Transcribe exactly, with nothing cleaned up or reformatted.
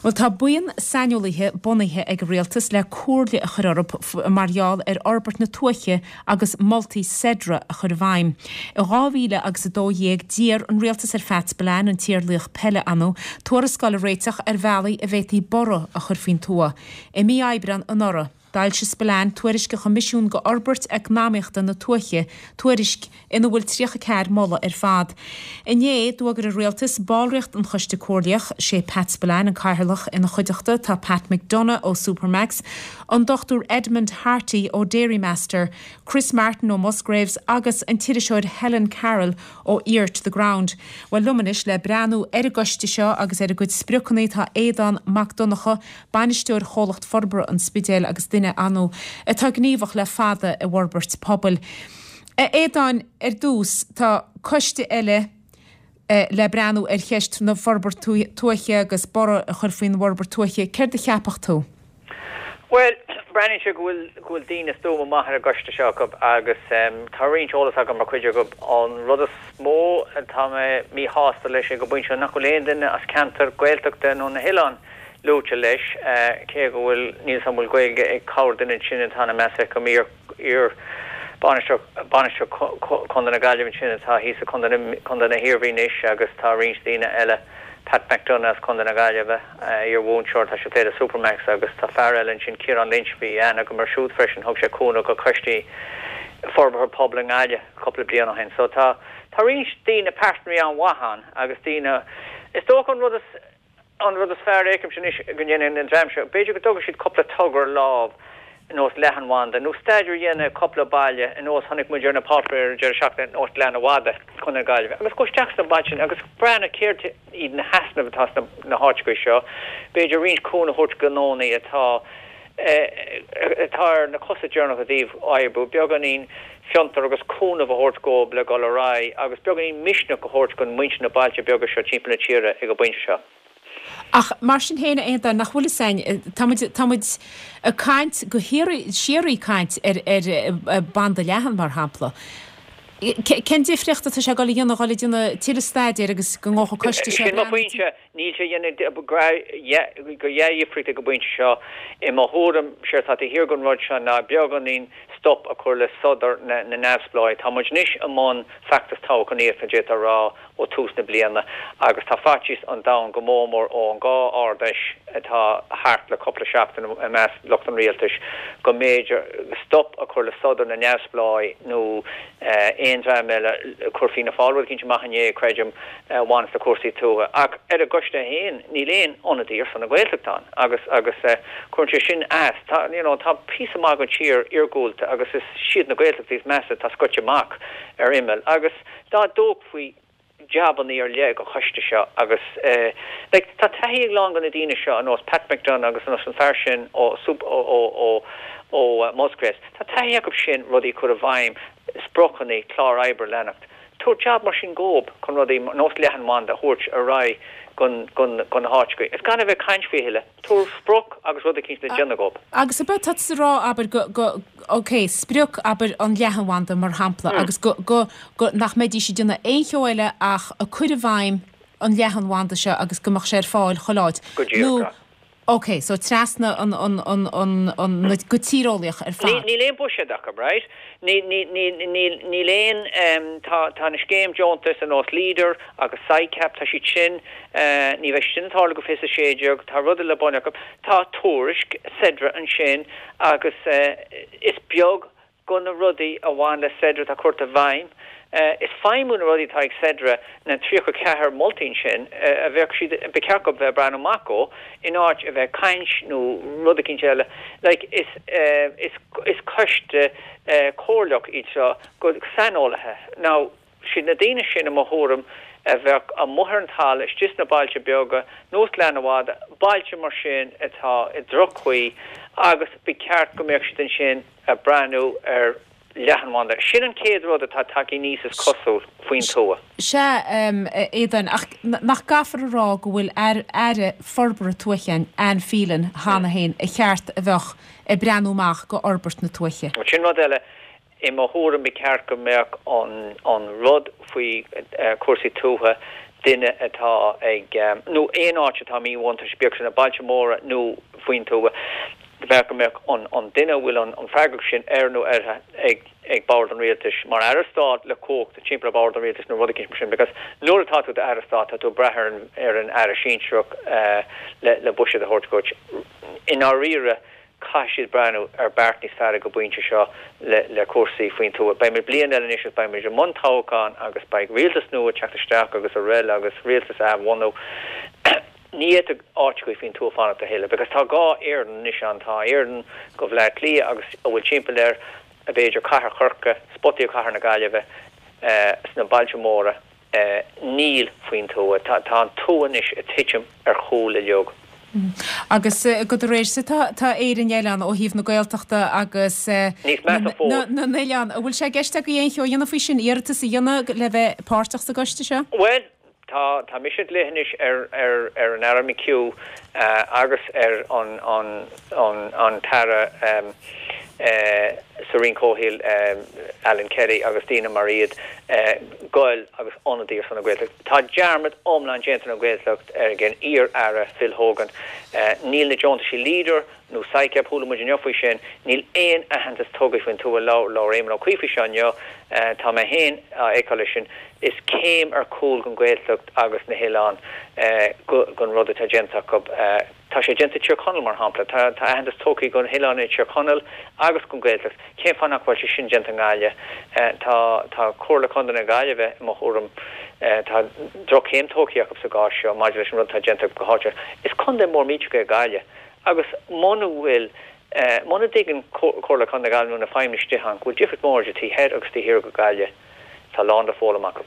Bhuel, tá buíon saineolaithe bunaithe ag an rialtas le comhairle a chur orthu mar gheall ar fhorbairt na tuaithe agus moltaí Cedra a chur i bhfeidhm. I dhá mhíle agus a dó dhéag d'iarr an rialtas ar Phat Spillane, an t-iarlaoch peile ann, tuarascáil a réiteach ar bhealaí a bhféadfaí borradh a chur faoin tuath. I mí Aibreáin anuraidh, d'fhoilsigh Spillane tuairisc a choimisiún go fhorbairt eacnamaíochta na tuaithe, tuairisc ina bhfuil tríocha ceathair moladh ar fad. Inné, d'fhógair an rialtas ballraíocht an Choiste Comhairleach, sé Pat Spillane an cathaoirleach ina chuideachta, tá Pat McDonagh ó Supermacs, an Dochtúir Edmund Harty ó Dairymaster, Chris Martin ó Musgraves agus an t-iriseoir Helen Carroll ó Ear to the Ground. Bhuel, liom anois le breathnú ar an gcoiste seo agus ar a gcuid spriocanna tá Aodán Mac Donncha, bainisteoir Chomhlacht Forbartha an Spidéil agus duine ann atá gníomhach le fada i bhforbairt pobail. A Aodáin, ar dtús, tá coiste eile le breathnú ar cheist na forbairt tuaithe agus borradh a chur faoin bhforbairt tuaithe. Céard a cheapfadh tú? Bhuel, breathnaíonn sé go bhfuil go bhfuil daoine stuama maith ar an gcoiste seo acu agus tá roinnt eolas agam mar chuid acu. An rud is mó atá mé míshásta leis ag an bpointe seo nach bhfuil aon duine as ceantar Gaeltachta nó na hoileáin luaite leis, cé go bhfuil, níl 'fhios a'm an bhfuil Gaeilge ag corrdhuine ansin atá ina measc acu, iar, iar bainisteoir, bainisteoir Chontae na Gaillimhe ansin atá thíos i Contae na, Contae na hIarmhí anois agus tá roinnt daoine eile, Pat McDonagh as Contae na Gaillimhe, iar mhúinteoir, tá sé ag plé le Supermacs agus tá fear eile ansin, Ciarán Lynch, bhí aithne agam air siúd freisin, thug sé cúnamh go coistí forbartha pobail i nGaillimh cúpla bliain ó shin. So tá, tá roinnt daoine, pearsanraí an-mhaith ann agus daoine, is dócha an rud is, An rud is fearr a fheicimse anois go ndéanfaidh an dream seo, b'fhéidir go dtógfaidh siad cúpla togra lámh ar nós leathanbhanda nó staidéar a dhéanamh ar cúpla baile ar nós chonaic muid ar na páipéir ar an deireadh seachtaine ar nós Gleann Fhada, Contae na Gaillimhe, agus dul isteach sna bailte sin agus breathnú céard iad na heasnaimh atá sna na háiteacha seo, b'fhéidir roinnt cúnamh a thabhairt do ghnónnaí atá atá ar na cosa deireanacha i dtaobh oibriú, beagáinín fiontar agus cúnamh a thabhairt dhóibh le dhul ar aghaidh agus beagáinín misneach a thabhairt don muintir na bailte beaga seo timpeall na tíre ag an bpointe seo. Ach mar sin féin, a Aodáin, nach bhfuil fhios a'inn, tá muid, tá muid ag caint go híoraí, síoraí caint ar, ar banda leathan, mar shampla. Cén difríocht atá sé ag dul a dhéanamh, dhul ag déanamh tuilleadh staidéir agus go ngabhfadh an coiste seo Sin mo phointe. Níl sé ag déanamh go dhea-dhifríocht ag an bpointe seo. I mo thuairim, séard atá taobh thiar den rud seo ná beagáinín stop a chur le sodar na neamhspleáigh. Tá muid anois i mbun feachtas toghchánaíochta, d'fhéadfá a rá, ó tús na bliana agus tá faitíos an domhain go mór mór ón dhá Ard-Fheis atá thart le cúpla seachtain i measc lucht an rialtais go mb'fhéidir stop a chur le sodar na neamhspleáigh nó aon dream eile. Chuir Fianna Fáil rud eicínt amach inné, creidim, a bhaineas le cúrsaí tuaithe. Ach ar an gcoiste féin, níl aon ionadaí ar son na Gaeltachta ann agus agus cuireann sé sin as. Tá, you know, tá píosa maith den tír iargúlta agus is siad na Gaeltachtaí is measa atá scoite amach ar imeall agus dá dtógfaí jabannaí ar leith don choiste seo agus like tá taithí ag a lán de na daoine seo ar nós Pat McDonagh agus ar nós an fear sin ó ó ó ó Musgraves, tá taithí acu sin rudaí a chur i bhfeidhm, spriocanna, clár oibre a leanacht. Tabhair jab mar sin dhóib chun rudaí ar nós leathanbhanda a thabhairt ar aghaidh go na háiteacha. Is gan a bheith ag caint faoi a thuilleadh. Tabhair sprioc agus rud eicínt le déanamh dhóib. Agus ab é atá tusa a rá, abair, go, go, ok, sprioc, abair, an leathanbhanda mar shampla, agus go, go, go, nach mbeidís ag déanamh aon cheo eile ach ag cur i bhfeidhm an leathanbhanda seo agus go mbeadh sé ar fáil chuile áit. Go díreach, Nó, Ok, so trasna an, an, an, an, an, na, go tíreolaíoch ar fad. Níl aon buiséad acu, right? Níl, níl, níl, níl, níl aon, em, tá, tá na scéim deontais ar nós Leader agus SICAP, tá siad sin, eh, ní bheidh siad sin ag tarlú go fiche a sé déag, tá rudaí le bun acu. Tá tuairisc Cedra ansin agus, eh, is beag go na rudaí a bhain le Cedra atá curtha i bhfeidhm. Is feidhmiú na rudaí atá ag Cedra, na tríocha ceathair moltaí sin, a bheadh siad, ba cheart dóibh bheith ag breathnú amach dhó, in áit a bheith ag caint nó rud eicínt eile. Like, is, is, is coiste comhairleach iad seo go saineolaithe. Now, siad na daoine sin, i mo thuairim, a bheadh amuigh ar an talamh, istigh sna bailte beaga, nós Gleann Fhada, bailte mar sin atá i droch-chaoi agus ba cheart go mbeadh siad ansin ag breathnú ar leathanbhanda. Sin an chéad rud atá tagtha aníos is cosúil faoin tuath. Sea, a Aodáin, ach nach gcaithfear a rá go bhfuil Aire Forbartha Tuaithe Anne Phelan cheana féin a cheart a bheadh ag breathnú amach go fhorbairt na tuaithe. Sin rud eile. I mo thuairim ba cheart go mbeadh an rud faoi chúrsaí tuaithe duine atá ag, nó aon áit atá míbhuntáiste, bíodh sin na bailte móra nó faoin tuath, bheadh go mbeadh an an duine a bhfuil an an freagracht sin air nó uirthi ag ag bord an rialtais mar aire stáit le cumhacht timpeall ar bhord an rialtais nó rud eicínt mar sin because nuair atá tú d'aire stáit tá tú ag brath ar an ar an aire sinsearach le le buiséad a thabhairt dhuit. I ndáiríre caithfidh siad breathnú ar beart níos fearr ag an bpointe seo le le cúrsaí faoin tuath. Beimid bliain eile anois agus beimid i mbun toghcháin agus beidh rialtas nua ag teacht isteach agus araile agus rialtas a athbhunú. Ní fhéadfaidh áiteachaí faoin tuath fanacht a thuilleadh because tá dhá Éirinn anois ann, tá Éirinn go Bhaile Átha Cliath agus a bhfuil timpeall air, b'fhéidir cathair Chorcaí, spotaí ó chathair na Gaillimhe, sna bailte móra, níl faoin tuath. Tá tá an tuath anois ag titim ar chúl uilig. Agus go do réir tá tá Éirinn eile ann ó thaobh na Gaeltachta agus Níos measa fós. na n-oileán. An bhfuil sé i gceist agaibh aon cheo a dhéanamh faoi sin, iarratas a dhéanamh le bheith páirteach sa gcoiste seo? Bhuel, tá tá mise ag glaoch anois ar ar ar an Aire McHugh agus ar an an an an tAire sa Roinn Comhshaoil Alan Kelly agus daoine mar iad goil agus ionadaí ar son na Gaeltachta. Tá dearmad iomlán déanta ar an Ghaeltacht ag an iar-aire Phil Hogan. Níl na deontaisí Leader nó SICAP, chuala muid inniu faoi sin, níl aon aitheantas tugtha faoin tuath, labhair Éamon Ó Cuív faoi seo inniu, tá mé féin á fheiceáil leis sin, is céim ar chúl don Ghaeltacht agus na hoileáin gon rud atá déanta acu. Tá sé déanta i Tír Chonaill, mar shampla. Tá tá aitheantas tugtha don oileán i Tír Chonaill agus don Ghaeltacht. Cén fáth nach bhfuil sé sin déanta i nGaillimh? Tá tá Comhairle Contae na Gaillimhe, i mo thuairim, tá droch-chéim tógtha acu sa gcás seo maidir leis an rud atá déanta go háitiúil. Is contae mór millteach é Gaillimh agus muna bhfuil muna dtuigeann Comhairle Contae na Gaillimhe nó na feidhmeannais istigh ann go bhfuil difríocht mhór idir taobh thoir agus taobh thiar go Gaillimh, tá a lán le foghlaim acu.